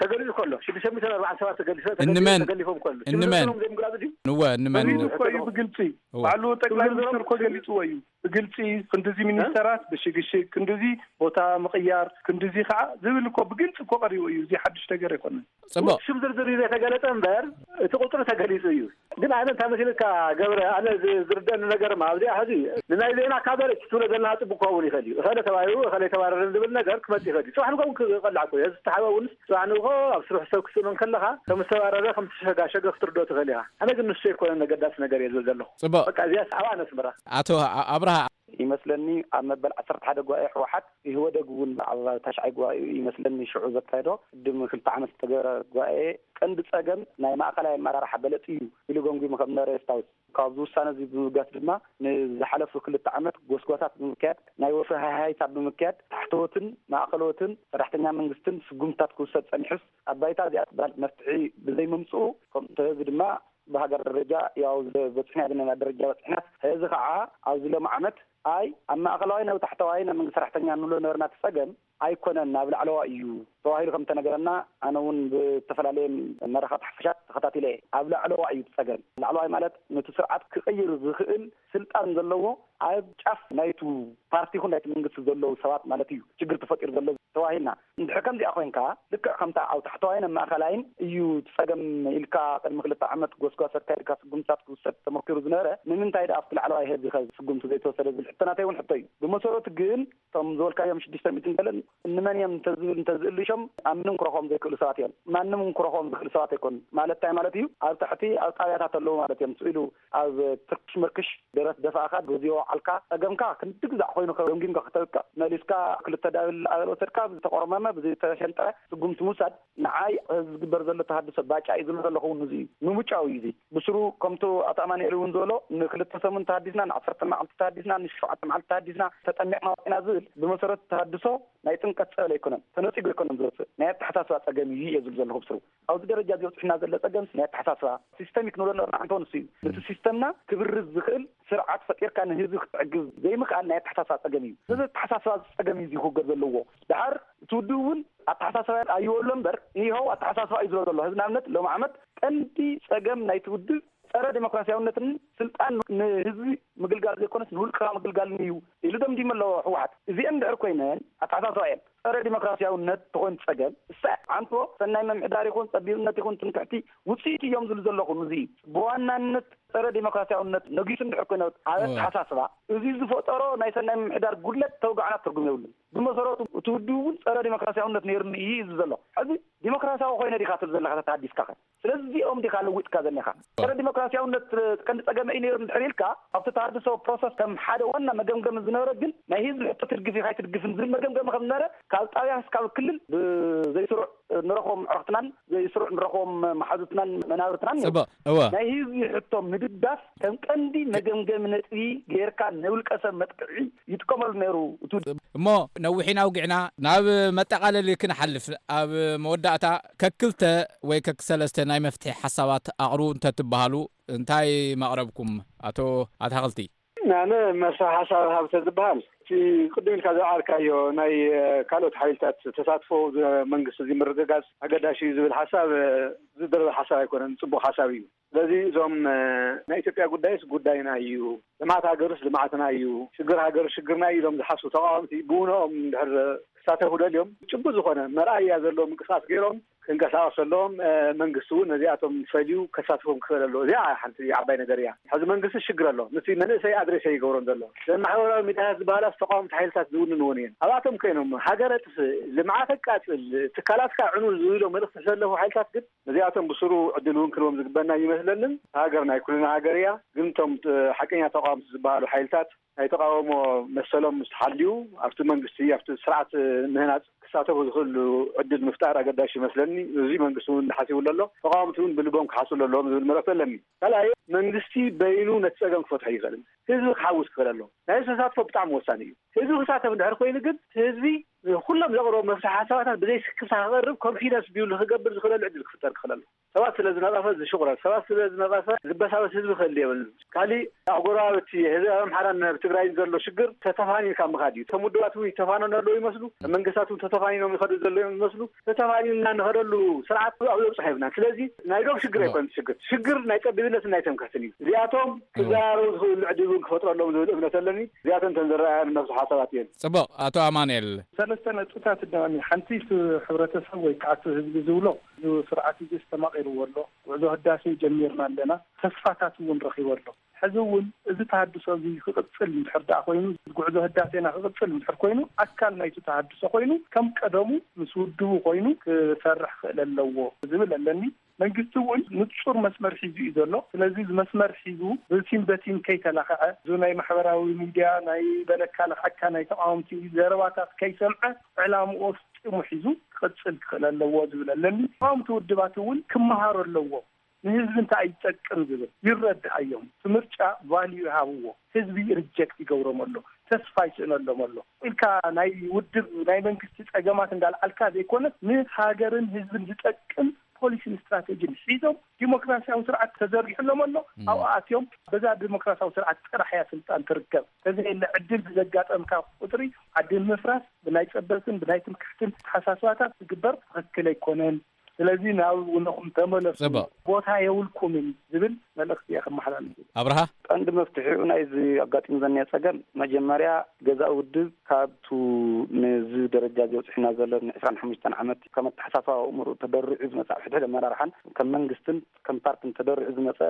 ተገሊጹ ከሎ፣ ሽዱሽተ ሚእትን ኣርባዓን ሰባት ተገሊሶ-፣ ተገሊሶ-፣ እንመን? ተገሊፎም ከሎ፣ እንመን? ሽዱሽተ ሚእትን እዮም ዘይምግላጹ ድዩ? እወ፣ እንመን? ህዝቢ እኮ እዩ ብግልጺ፣ እወ። ባዕሉ ጠቅላይ ሚኒስትር እኮ ገሊጽዎ እዩ። ብግልጺ ክንድዚ እ? ሚኒስተራት ብሽግሽግ፣ ክንድዚ ቦታ ምቕያር፣ ክንድዚ ከዓ ዝብል እኮ ብግልጺ እኮ ቀሪቡ እዩ። እዚ ሓድሽ ነገር ኣይኮነን። ጽቡቕ። ሽም ዝርዝር እዩ ዘይተገለጸ እምበር፣ እቲ ቁጽሪ ተገሊጹ እዩ። ግን ኣነ እንታይ መሲልካ ገብረ፣ ኣነ ዝ-፣ ዝርደአኒ ነገር ማ ኣብዚኣ ሕዚ ንናይ ዜና ካቨሬጅ ትብሎ ዘለና ጽቡቅ ክኸውን ይኽእል እዩ። እኸለ ተባሂሩ፣ እኸለ ተባረረ ዝብል ነገር ክመጽእ ይኽእል እዩ። ጽባሕ ንግሆ እውን ክቐላዕ እኮ እዩ። እዚ ዝተሓበ እውን ጽባሕ ንግሆ ኣብ ስርሑ ሰብ ክስእኖ እንከለኻ ከም ዝተባረረ፣ ከም ዝተሸጋሸገ ክትርድኦ ትኽእል ኢኻ። ኣነ ግን ንሱ ኣይኮነን ኣገዳሲ ነገር እየ ዝብል ዘለኹ። ጽቡቕ። በቃ እዚኣስ ኣብኣ ነስምራ። ኣቶ ኣ-፣ ኣብርሃ። ይመስለኒ ኣብ መበል ዓሰርተ ሓደ ጉባኤ ህወሓት ኢህወደግ እውን ኣብ ታሽዓይ ጉባኤኡ ይመስለኒ ሽዑ ዘካየዶ ቅድሚ ክልተ ዓመት ዝተገበረ ጉባኤ ቀንዲ ጸገም ናይ ማእኸላይ ኣመራርሓ በለጽ እዩ ኢሉ ገምጊሙ ከም ነበረ የስታውስ። ካብዚ ውሳነ እዚ ብምብጋስ ድማ ንዝሓለፉ ክልተ ዓመት ጎስጓሳት ብምክያድ፣ ናይ ወፍሪ ሃይሃይታ ብምክያድ፣ ታሕተዎትን ማእኸለዎትን ሰራሕተኛ መንግስትን ስጉምትታት ክውሰድ ጸኒሑስ፣ ኣብ ባይታ እዚኣ ትበሃል መፍትሒ ብዘይምምፅኡ፣ ከምኡ እንተዚ ድማ ብሃገር ደረጃ ያው በፂሕና ዘለና ደረጃ በፂሕና። እዚ ከዓ ኣብዚ ሎሚ ዓመት ኣይ ኣብ ማእኸላዋይ ናብ ታሕተዋይ ናይ መንግስቲ ሰራሕተኛ ንብሎ ነበርና እቲ ጸገም ኣይኮነን፣ ኣብ ላዕለዋ እዩ ተባሂሉ ከም ተነገረና፣ ኣነ እውን ብዝተፈላለየ መራኸብቲ ሓፈሻት ተኸታቲለ እየ። ኣብ ላዕለዋ እዩ እቲ ጸገም። ላዕለዋይ ማለት ነቲ ስርዓት ክቕይር ዝኽእል ስልጣን ዘለዎ ኣብ ጫፍ ናይቱ ፓርቲ ይኹን ናይቲ መንግስቲ ዘለዉ ሰባት ማለት እዩ ችግር ተፈጢሩ ዘሎ ተባሂልና። እንድሕር ከምዚኣ ኮይንካ፣ ልክዕ ከምታ ኣብ ታሕተዋይን ኣብ ማእኸላይን እዩ እቲ ጸገም ኢልካ ቅድሚ ክልተ ዓመት ጎስጓስ ኣካይድካ ስጉምትታት ክውሰድ ተመኪሩ ዝነበረ፣ ንምንታይ ደኣ ኣብቲ ላዕለዋይ ህዝቢ ከ ስጉምቲ ዘይተወሰደ ዝብል ሕቶናተይ እውን ሕቶ እዩ። ብመሰረቱ ግን እቶም ዝበልካዮም ሽዱሽተ ሚእትን ገለን እንመን እዮም እንተዝብል እንተዝእልሾም ኣብ ምንም ክረኽቦም ዘይክእሉ ሰባት እዮም። ማንም እውን ክረኽቦም ዝኽእል ሰባት ኣይኮኑን። ማለት እንታይ ማለት እዩ? ኣብ ታሕቲ ኣብ ጣብያታት ኣለዉ ማለት እዮም። ስኢሉ ኣብ ትርክሽ ምርክሽ ደረት ደፋእካ፣ በዚ ወዓልካ፣ ጸገምካ ክንዲ ግዛዕ ኮይኑ ገምጊምካ ክተብቅዕ፣ መሊስካ ክልተ ዳብል ኣበል ወሰድካ፣ ብዝተቆርመመ፣ ብዝተሸንጠረ ስጉምቲ ምውሳድ፣ ንዓይ እዚ ዝግበር ዘሎ ተሃድሶ ባጫ እዩ ዝብል ዘለኹ እውን እዚ እዩ። ምሙጫው እዩ እዚ። ብስሩ ከምቱ ኣቶ ኣማኑኤል እውን ዝበሎ፣ ንክልተ ሰሙን ተሃዲስና፣ ንዓሰርተ መዓልቲ ተሃዲስና፣ ንሸውዓተ መዓልቲ ተሃዲስና፣ ተጠሚቕና ወፂና ዝብል ብመሰረቱ ተሃድሶ ናይ ጥምቀት ጸበል ኣይኮነን፣ ተነጺጉ ኣይኮነን ዝወጽእ፣ ናይ ኣተሓሳስባ ጸገም እዩ እየ ዝብል ዘለኹ ብስሩ። ኣብዚ ደረጃ እዚ በጺሕና ዘሎ ጸገምሲ ናይ ኣተሓሳስባ፣ ሲስተሚክ ንብሎ ነበርና፣ ዓንተወ ንሱ እዩ። ነቲ ሲስተምና ክብርዝ ዝኽእል ስርዓት ፈጢርካ ንህዝቢ ክትዕግብ ዘይምኽኣል ናይ ኣተሓሳስባ ጸገም እዩ። እዚ ኣተሓሳስባ ጸገም እዩ እዚ ክውገድ ዘለዎ። ደሓር እቲ ውድብ እውን ኣተሓሳስባ ኣይወሎ እምበር፣ ይኸው ኣተሓሳስባ እዩ ዝሎ ዘሎ። ህዝቢ ንኣብነት ሎም ዓመት ቀንዲ ጸገም ናይቲ ውድብ ጸረ ዴሞክራሲያውነትን ስልጣን ንህዝቢ ምግልጋል ዘይኮነስ ንውልቅኻ ምግልጋልን እዩ ኢሉ ደምዲሙ ኣሎ ህወሓት። እዚአን እንድሕር ኮይነን ኣተሓሳስባ እየን። ጸረ ዴሞክራሲያውነት ተኾይኑ ጸገም፣ እሳ ዓንቶ ሰናይ ምምሕዳር ይኹን ጸቢብነት ይኹን ትምክሕቲ ውፅኢት እዮም ዝብሉ ዘለኹ። እዚ ብዋናነት ጸረ ዴሞክራሲያውነት ነጊሱ እንድሕር ኮይነ ኣብ ኣተሓሳስባ፣ እዚ ዝፈጠሮ ናይ ሰናይ ምምሕዳር ጉድለት ተውጋዕና ትርጉም የብሉን። ብመሰረቱ እቲ ውድብ እውን ጸረ ዴሞክራሲያውነት ነይሩኒ እዩ ዝብል ዘሎ። ሕዚ ዴሞክራሲያዊ ኮይነ ዲኻ ትብል ዘለኻ ተተሃዲስካ ከ? ስለዚ እዚኦም ዲኻ ለዊጥካ ዘኒኻ? ጸረ ዲሞክራሲያውነት ቀንዲ ጸገመ እዩ ነይሩ እንድሕር ኢልካ፣ ኣብቲ ተሃድሶ ፕሮሰስ ከም ሓደ ዋና መገምገሚ ዝነበረ ግን ናይ ህዝቢ ሕቶ ትድግፍ ኢኻ ኣይትድግፍን ዝብል መገምገሚ ከም ዝነበረ ካብ ጣብያ እስካብ ክልል ብዘይስሩዕ ንረኽቦም ኣዕሩኽትናን ዘይስሩዕ ንረኽቦም መሓዙትናን መናብርትናን እዮም። ጽቡቕ፣ እወ። ናይ ህዝቢ ሕቶ ምድጋፍ ከም ቀንዲ መገምገሚ ነጥቢ ጌርካ ናይ ውልቀ ሰብ መጥቅዒ ይጥቀመሉ ነይሩ። እቱ እሞ ነዊሕና ኣውጊዕና ናብ መጠቓለሊ ክንሓልፍ፣ ኣብ መወዳእታ ከክልተ ወይ ከክሰለስተ ናይ መፍትሒ ሓሳባት ኣቕርቡ እንተትበሃሉ እንታይ መቕረብኩም? ኣቶ ኣታኽልቲ። ኣነ መፍትሒ ሓሳብ ሃብ ተዝበሃል፣ እቲ ቅድም ኢልካ ዝወዓልካዮ ናይ፣ እ፣ ካልኦት ሓይልታት ተሳትፎ ዝ-፣ መንግስቲ እዚ ምርግጋጽ ኣገዳሲ እዩ ዝብል ሓሳብ፣ እ፣ ዝድረር ሓሳብ ኣይኮነን፣ ጽቡቕ ሓሳብ እዩ። ስለዚ እዞም፣ እ፣ ናይ ኢትዮጵያ ጉዳይስ ጉዳይና እዩ፣ ልምዓት ሃገርስ ልምዓትና እዩ፣ ሽግር ሃገር ሽግርና እዩ ኢሎም ዝሓስቡ ተቃወምቲ ብውነኦም እንድሕር ክሳተፉ ደልዮም ጭቡጥ ዝኾነ መርኣያ ዘለዎ ምንቅስቃስ ገይሮም ክንቀሳቀሱ ኣለዎም። እ፣ መንግስቲ እውን ነዚኣቶም ፈልዩ ከሳትፎም ክኽእል ኣለዎ። እዚኣ ሓንቲ ዓባይ ነገር እያ። ሕዚ መንግስቲ ሽግር ኣሎ፣ ምስቲ መንእሰይ ኣድሬስ ኣይገብሮን ዘሎ። እዘን ማሕበራዊ ሚዲያታት ዝበሃላስ ተቃወምቲ ሓይልታት ዝውንንወን እየን። ኣብኣቶም ኮይኖም ሃገር ኣጥፍእ፣ ልምዓት ኣቃጽል፣ ትካላትካ ዕኑ ዝብሎ መልእኽቲ ዝሰለፉ ሓይልታት ግን ነዚኣቶም ብስሩ ዕድል እውን ክንቦም ዝግበና ይመስለንን። ሃገር ናይ ኩልና ሃገር እያ። ግን እቶም፣ እ፣ ሓቀኛ ተቃወምቲ ዝበሃሉ ሓይልታት ናይ ተቃውሞ መሰሎም ምስ ተሓልዩ ኣብቲ መንግስቲ፣ ኣብቲ ስርዓት ምህናጽ ክሳተፉ ዝኽእሉ ዕድል ምፍጣር ኣገዳሽ ይመስለኒ። እዚ መንግስቲ እውን ሓሲቡሉ ኣሎ። ተቃወምቲ እውን ብልቦም ክሓስቡ ኣለዎም ዝብል መልእኽቲ ኣለኒ። ካልኣይ መንግስቲ በይኑ ነቲ ጸገም ክፈትሖ ይኽእልን ህዝቢ ክሓውስ ክኽእል ኣለዎ። ናይ ተሳትፎ ብጣዕሚ ወሳኒ እዩ። ህዝቢ ክሳተፍ እንድሕር ኮይኑ ግን ህዝቢ ኩሎም ዘቕረቡ መፍትሒ ሓሳባታት ብዘይ ስክፍታ ክቐርብ ኮንፊደንስ ቢውልድ ክገብር ዝኽእለሉ ዕድል ክፍጠር ክኽእል ኣለዎ። ሰባት ስለ ዝነቐፈ ዝሽቑረር፣ ሰባት ስለ ዝነቐፈ ዝበሳበስ ህዝቢ ክህሉ የብሉን። ካሊእ ኣብ ጎረባብቲ ህዝቢ ኣብ ኣምሓራን ኣብ ትግራይን ዘሎ ሽግር ተተፋኒንካ ምኻድ እዩ። እቶም ውድባት እውን ይተፋነኑ ኣለዉ ይመስሉ፣ መንግስታት እውን ተተፋኒኖም ይኸዱ ዘለዉ ይመስሉ። ተተፋኒንና ንኸደሉ ስርዓት ኣብ ዘብፅሖ የብልናን። ስለዚ ናይ ዶብ ሽግር ኣይኮነን ሽግር፣ ሽግር ናይ ጸቢብነትን ናይ ትምክሕትን እዩ። እዚኣቶም ክዘራረቡ ዝኽእሉ ዕድል እውን ክፈጥረሎም ዝብል እምነት ኣለኒ። እዚኣተን እተን ዝረኣያን መፍትሒ ሓሳባት እየን። ጽቡቕ፣ ኣቶ ኣማኑኤል። ሰለስተ ነጥብታት እኒኦኒ። ሓንቲ እቲ ሕብረተሰብ ወይ ከዓ እቲ ህዝቢ ዝብሎ፣ እዚ ስርዓት እዚ ዝተማቒርዎ ኣሎ። ጉዕዞ ህዳሴ ጀሚርና ኣለና። ተስፋታት እውን ረኺቡ ኣሎ። ሕዚ እውን እዚ ተሃድሶ እዚ ክቕጽል እንድሕር ደኣ ኮይኑ፣ ጉዕዞ ህዳሴና ክቕጽል እንድሕር ኮይኑ፣ ኣካል ናይቲ ተሃድሶ ኮይኑ፣ ከም ቀደሙ ምስ ውድቡ ኮይኑ ክሰርሕ ክኽእል ኣለዎ ዝብል ኣለኒ። መንግስቲ እውን ንጹር መስመር ሒዙ እዩ ዘሎ። ስለዚ እዚ መስመር ሒዙ ብቲን በቲን ከይተላኸዐ፣ እዚ ናይ ማሕበራዊ ሚድያ ናይ በለካ ለኽዐካ ናይ ተቃወምቲ ዘረባታት ከይሰምዐ፣ ዕላምኡ ኣፍጺሙ ሒዙ ክቕጽል ክኽእል ኣለዎ ዝብል ኣለኒ። ተቃወምቲ ውድባት እውን ክመሃሩ ኣለዎም። ንህዝቢ እንታይ ይጠቅም ዝብል ይረድኣዮም። እቲ ምርጫ ቫልዩ ይሃብዎ። ህዝቢ ሪጀክት ይገብሮም ኣሎ፣ ተስፋ ይስእነሎም ኣሎ። ኢልካ ናይ ውድብ ናይ መንግስቲ ጸገማት እንዳልዓልካ ዘይኮነስ ንሃገርን ህዝብን ዝጠቅም ፖሊሲን ስትራቴጂን ሒዞም ዲሞክራሲያዊ ስርዓት ተዘርጊሕሎም ኣሎ። ኣብኡ ኣትዮም በዛ ዲሞክራሲያዊ ስርዓት ጥራሕ እያ ስልጣን ትርከብ። ተዘየለ ዕድል ብዘጋጠምካ ቁፅሪ ዓዲ ምፍራስ ብናይ ፀበብትን ብናይ ትምክሕትን ተሓሳስባታት ዝግበር ትኽክል ኣይኮነን። ስለዚ ናብ ውነኹም ተመለሱ፣ ቦታ የብልኩምን ዝብል መልእኽቲ እየ ከመሓላልፍ። ኣብርሃ፣ ቀንዲ መፍትሒኡ ናይዚ ኣጋጢሙ ዘኒአ ጸገም መጀመርያ ገዛኢ ውድብ ካብቱ ነዚ ደረጃ እዚ በጺሑና ዘሎ ን ዕስራን ሓሙሽተን ዓመት ከም ኣተሓሳስባ ኣእምሮ ተደሪዑ ዝመጽእ ኣብ ሕድሕድ ኣመራርሓን ከም መንግስትን ከም ፓርትን ተደሪዑ ዝመጸ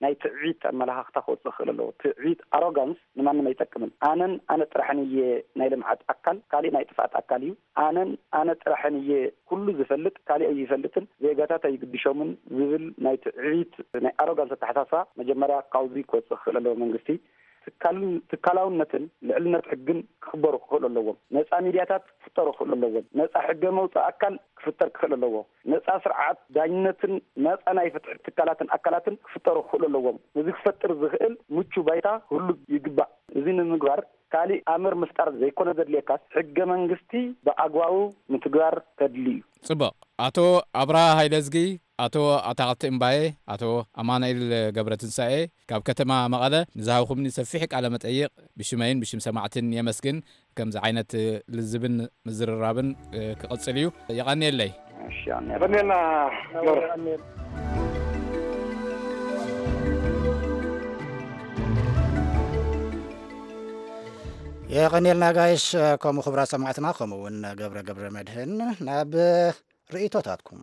ናይ ትዕቢት ኣመለኻኽታ ክወጽእ ክኽእል ኣለዎ። ትዕቢት፣ ኣሮጋንስ ንማንም ኣይጠቅምን። ኣነን ኣነ ጥራሕን እየ ናይ ልምዓት ኣካል፣ ካሊእ ናይ ጥፍኣት ኣካል እዩ። ኣነን ኣነ ጥራሕን እየ ኩሉ ዝፈልጥ፣ ካሊእ ኣይፈልጥን፣ ዜጋታት ኣይግድሾምን ዝብል ናይ ትዕቢት ናይ ኣሮጋንስ ኣተሓሳስባ መጀመርያ ካብዚ ክወጽእ ክኽእል ኣለዎ። መንግስቲ ትካልን ትካላውነትን ልዕልነት ሕግን ክኽበሩ ክኽእሉ ኣለዎም። ነጻ ሚድያታት ክፍጠሩ ክኽእሉ ኣለዎም። ነጻ ሕገ መውጽኢ ኣካል ክፍጠር ክኽእል ኣለዎ። ነጻ ስርዓት ዳኝነትን ነጻ ናይ ፍትሒ ትካላትን ኣካላትን ክፍጠሩ ክኽእሉ ኣለዎም። ነዚ ክፈጥር ዝኽእል ምቹ ባይታ ክህሉ ይግባእ። እዚ ንምግባር ካሊእ ኣምር ምፍጣር ዘይኮነ ዘድልየካስ ሕገ መንግስቲ ብኣግባቡ ምትግባር ከድሊ እዩ። ጽቡቕ። ኣቶ ኣብርሃ ሃይለዝጊ፣ ኣቶ ኣታኽልቲ እምባዬ፣ ኣቶ ኣማኑኤል ገብረትንሳኤ ካብ ከተማ መቐለ ንዝሃብኩምኒ ሰፊሕ ቃለ መጠይቕ ብሽመይን ብሽም ሰማዕትን የመስግን። ከምዚ ዓይነት ልዝብን ምዝርራብን ክቕጽል እዩ። የቐንየለይ። እሺ፣ ኣነ የቐንየልና ገብረ። የቐንየልና ጋይሽ። ከምኡ ክቡራት ሰማዕትና፣ ከምኡ እውን ገብረ ገብረ መድህን ናብ ርእይቶታትኩም።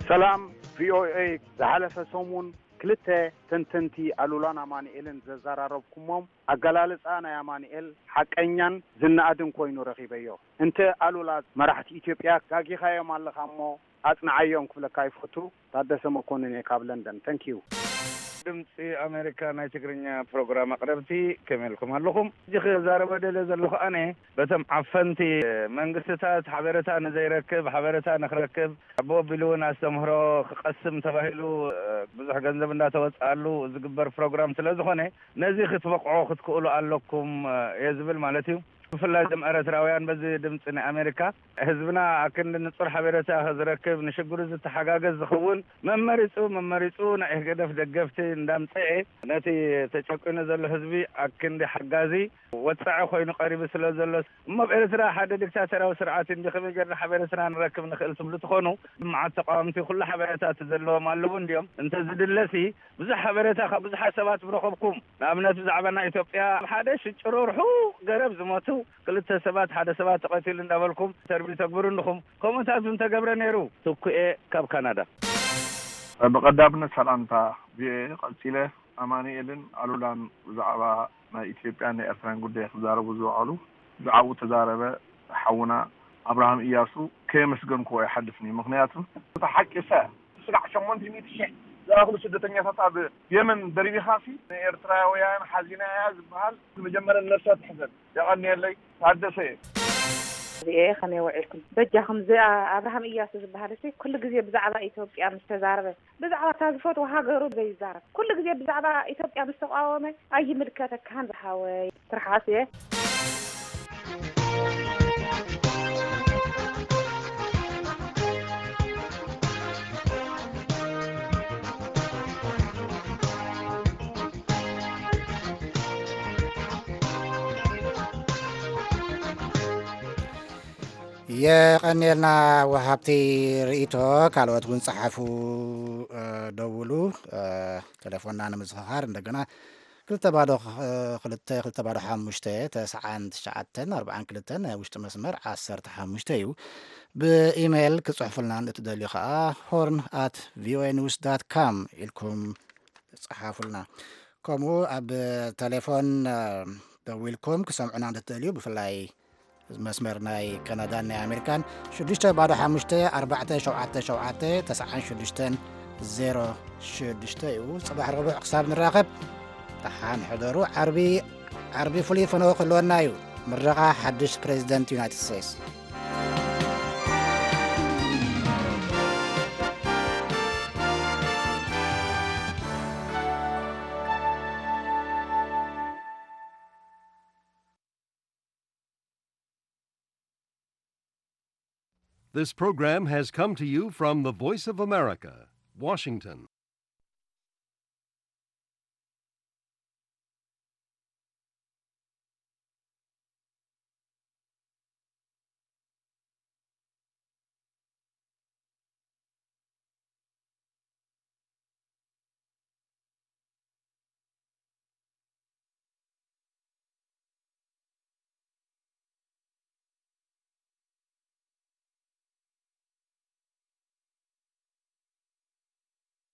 ሰላም ቪኦኤ። ዝሓለፈ ሰሙን ክልተ ተንተንቲ ኣሉላን ኣማኑኤልን ዘዘራረብኩሞም ኣገላልጻ ናይ ኣማኑኤል ሓቀኛን ዝነኣድን ኮይኑ ረኺበዮ። እንተ ኣሉላ መራሕቲ ኢትዮጵያ ጋጊኻዮም ኣለኻ እሞ ኣጽንዓዮም ክብለካ ይፈቱ። ታደሰ መኮንን እየ ካብ ለንደን። Thank you። ድምፂ ኣሜሪካ ናይ ትግርኛ ፕሮግራም ኣቕረብቲ ከመይ ኢልኩም ኣለኹም? ሕጂ ክዛረበ ደልየ ዘለኹ ኣነ በቶም ዓፈንቲ መንግስትታት ሓበሬታ ንዘይረክብ ሓበሬታ ንክረክብ ኣቦ ኣቢሉ እውን ኣስተምህሮ ክቐስም ተባሂሉ ብዙሕ ገንዘብ እንዳተወፅኣሉ ዝግበር ፕሮግራም ስለ ዝኾነ ነዚ ክትበቕዖ ክትክእሉ ኣለኩም እየ ዝብል ማለት እዩ። ብፍላይ እዞም ኤርትራውያን በዚ ድምፂ ናይ ኣሜሪካ ህዝብና ኣክንዲ ንፁር ሓበሬታ ዝረክብ ንሽግሩ ዝተሓጋገዝ ዝኸውን መመሪፁ መመሪፁ ናይ ህግደፍ ደገፍቲ እንዳምፀኤ ነቲ ተጨቂኑ ዘሎ ህዝቢ ኣክንዲ ሓጋዚ ወፃዒ ኮይኑ ቀሪቡ ስለ ዘሎ እሞ ኣብ ኤርትራ ሓደ ዲክታተራዊ ስርዓት እንዲ ከመይ ጌርና ሓበሬታና ንረክብ ንኽእል ትብሉ ትኾኑ። መዓት ተቃወምቲ ኩሉ ሓበሬታ እቲ ዘለዎም ኣለዉ እንዲዮም እንተዝድለሲ ብዙሕ ሓበሬታ ካብ ብዙሓት ሰባት ምረኸብኩም። ንኣብነት ብዛዕባ ናይ ኢትዮጵያ ሓደ ሽጭሮ ርሑቕ ገረብ ዝሞቱ ክልተ ሰባት ሓደ ሰባት ተቐቲሉ እንዳበልኩም ኢንተርቪው ተግብሩ እንድኹም። ከምኡታት እውን ተገብረ ነይሩ። ትኩኤ ካብ ካናዳ። ብቐዳምነት ሰላምታ ቪኦኤ። ቀጺለ ኣማኑኤልን ኣሉላን ብዛዕባ ናይ ኢትዮጵያን ናይ ኤርትራን ጉዳይ ክዛረቡ ዝወዓሉ ብዛዕባኡ ተዛረበ ሓውና ኣብርሃም እያሱ ከየመስገንክዎ ኣይሓልፍን እዩ። ምኽንያቱ እቲ ሓቂ ሰ ስጋዕ ሸሞንተ ሚእቲ ሺሕ ዝኣኽሉ ስደተኛታት ኣብ የመን ደርቢኻሲ ንኤርትራውያን ሓዚና እያ ዝበሃል መጀመርያ ነብሳ ትሕዘን። የቐንየለይ። ታደሰ እየ። እዚኤ ከመይ ውዒልኩም? በጃኹም፣ እዚ ኣብርሃም እያሱ ዝበሃል እሲ ኩሉ ግዜ ብዛዕባ ኢትዮጵያ ምስ ተዛረበ፣ ብዛዕባ እታ ዝፈትዋ ሃገሩ ዘይዛረብ፣ ኩሉ ግዜ ብዛዕባ ኢትዮጵያ ምስ ተቃወመ፣ ኣይምልከተካን ዝሓወይ። ትርሓስ እየ። የቐንየልና ወሃብቲ ርእይቶ። ካልኦት እውን ጸሓፉ፣ እ፣ ደውሉ። እ፣ ቴሌፎንና ንምዝኽኻር እንደገና ክልተ ባዶ ኽ-፣ ክልተ፣ ክልተ ባዶ ሓሙሽተ፣ ተስዓን ትሽዓተን ኣርባዓን ክልተን ናይ ውሽጢ መስመር ዓሰርተ ሓሙሽተ እዩ። ብኢሜይል ክጽሕፉልና እትደልዩ ኸኣ ሆርን ኣት ቪኦኤ ኒውስ ዳት ካም ኢልኩም ጸሓፉልና። ከምኡ ኣብ ቴሌፎን፣ እ፣ ደዊልኩም ክሰምዑና እንተትደልዩ፣ ብፍላይ መስመር ናይ ካናዳን ናይ ኣሜሪካን ሽዱሽተ ባዶ ሓሙሽተ ኣርባዕተ ሸውዓተ ሸውዓተ ተስዓን ሽዱሽተን ዜሮ ሽዱሽተ እዩ። ጽባሕ ረቡዕ ክሳብ ንራኸብ ደሓን ሕደሩ። ዓርቢ፣ ዓርቢ ፍሉይ ፈነወ ክህልወና እዩ። ምረቓ ሓድሽ ፕሬዚደንት ዩናይትድ ስቴትስ። This program has come to you from the Voice of America, Washington.